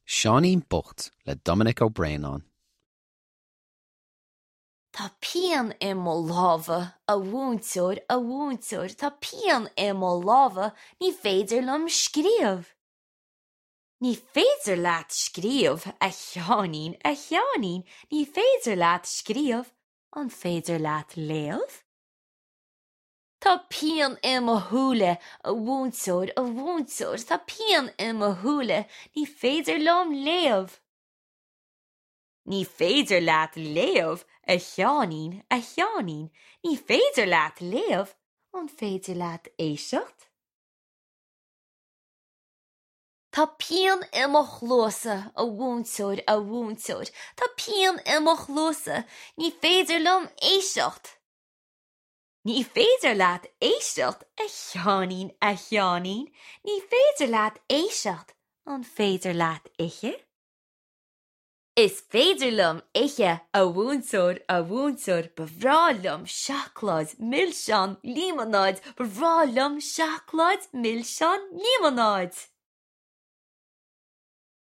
Seáinín Bocht le Dominic Ó Braonáin. Tá pian i mo lámha, a mhúinteoir, a mhúinteoir, tá pian i mo lámha, ní féidir liom scríobh. Ní féidir leat scríobh, a Sheáinín, a Sheáinín, ní féidir leat scríobh, an féidir leat léamh? Tá pian i mo shúile, a mhúinteoir, a mhúinteoir, tá pian i mo shúile, ní féidir liom léamh. Ní féidir leat léamh, a Sheáinín, a Sheáinín, ní féidir leat léamh, an féidir leat éisteacht? Tá pian i mo chluasa, a mhúinteoir, a mhúinteoir, tá pian i mo chluasa, ní féidir liom éisteacht. Ní féidir leat éisteacht, a Sheáinín, a Sheáinín, ní féidir leat éisteacht, an féidir leat ithe? Is féidir liom ithe, a mhúinteoir, a mhúinteoir, ba bhreá liom seacláid, milseán, líomanáid, ba bhreá liom seacláid, milseán, líomanáid.